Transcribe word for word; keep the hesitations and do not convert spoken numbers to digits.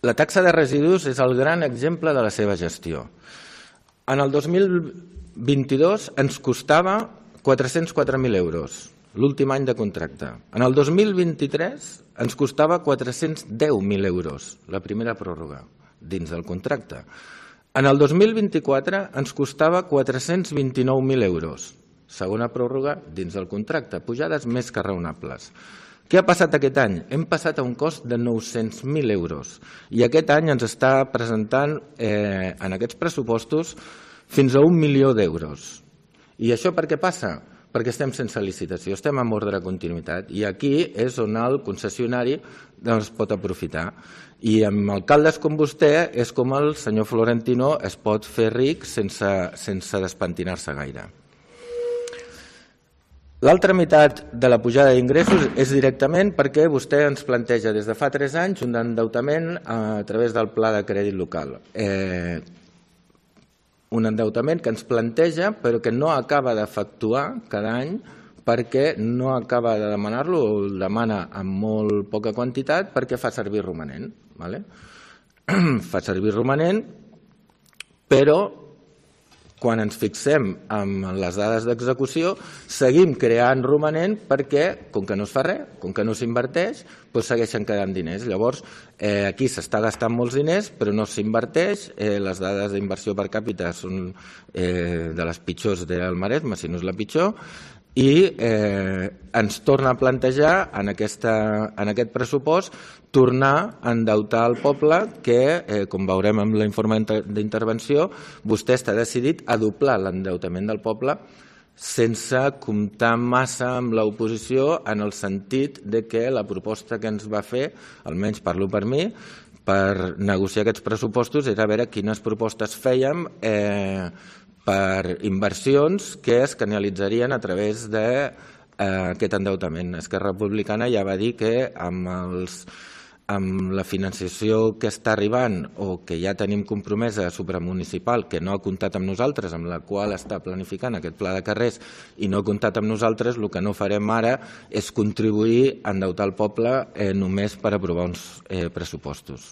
La taxa de residus és el gran exemple de la seva gestió. En el dos mil vint-i-dos ens costava quatre-cents quatre mil euros, l'últim any de contracte. En el dos mil vint-i-tres ens costava quatre-cents deu mil euros, la primera pròrroga, dins del contracte. En el dos mil vint-i-quatre ens costava quatre-cents vint-i-nou mil euros, segona pròrroga dins del contracte, pujades més que raonables. Què ha passat aquest any? Hem passat a un cost de nou-cents mil euros i aquest any ens està presentant eh, en aquests pressupostos fins a un milió d'euros. I això per què passa? Perquè estem sense licitació, estem en ordre de continuïtat i aquí és on el concessionari es pot aprofitar. I amb alcaldes com vostè és com el senyor Florentino es pot fer ric sense, sense despentinar-se gaire. L'altra meitat de la pujada d'ingressos és directament perquè vostè ens planteja des de fa tres anys un endeutament a través del pla de crèdit local. Eh, un endeutament que ens planteja però que no acaba d'efectuar cada any perquè no acaba de demanar-lo o el demana amb molt poca quantitat perquè fa servir romanent. Vale? Fa servir romanent, però quan ens fixem en les dades d'execució, seguim creant romanent perquè, com que no es fa res, com que no s'inverteix, doncs segueixen quedant diners. Llavors, eh, aquí s'està gastant molts diners, però no s'inverteix. Eh, les dades d'inversió per càpita són eh, de les pitjors del Maresme, si no és la pitjor, i eh, ens torna a plantejar en, aquesta, en aquest pressupost tornar a endeutar el poble que, eh, com veurem amb l'informe d'intervenció, vostè està decidit a doblar l'endeutament del poble sense comptar massa amb l'oposició en el sentit de que la proposta que ens va fer, almenys parlo per mi, per negociar aquests pressupostos era veure quines propostes fèiem eh, per inversions que es canalitzarien a través d'aquest endeutament. Esquerra Republicana ja va dir que amb, els, amb la financiació que està arribant o que ja tenim compromesa supramunicipal, que no ha comptat amb nosaltres, amb la qual està planificant aquest pla de carrers i no ha comptat amb nosaltres, el que no farem ara és contribuir a endeutar el poble eh, només per aprovar uns eh, pressupostos.